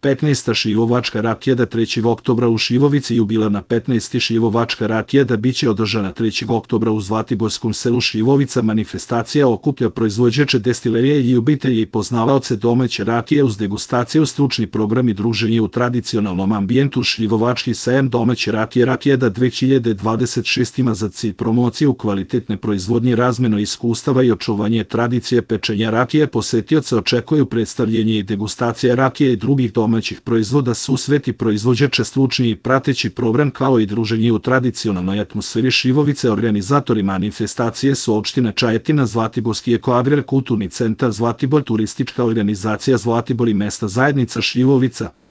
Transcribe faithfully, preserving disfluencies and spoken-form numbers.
petnaesta Šivovačka rakijada trećeg oktobra u Šivovici. Jubilarna petnaesta Šivovačka rakijada biće održana trećeg oktobra u Zlatiborskom selu Šivovica. Manifestacija okuplja proizvođače destilerije i ljubitelje i poznavaoce domaće rakije uz degustaciju, stručni program i druženje u tradicionalnom ambijentu. Šivovački sajam domaće rakije Rakijada dve hiljade dvadeset šest ima za cilj promociju kvalitetne proizvodnje, razmenu iskustava i očuvanje tradicije pečenja rakije. Posetioce očekuju predstavljanje i degustacija rakije i drugih domaćih proizvoda, susreti proizvođača, stručni i prateći program kao i druženje u tradicionalnoj atmosferi Šivovice. Organizatori manifestacije su opština Čajetina, Zlatiborski ekoagrar, kulturni centar Zlatibor, turistička organizacija Zlatibor i mesna zajednica Šivovica.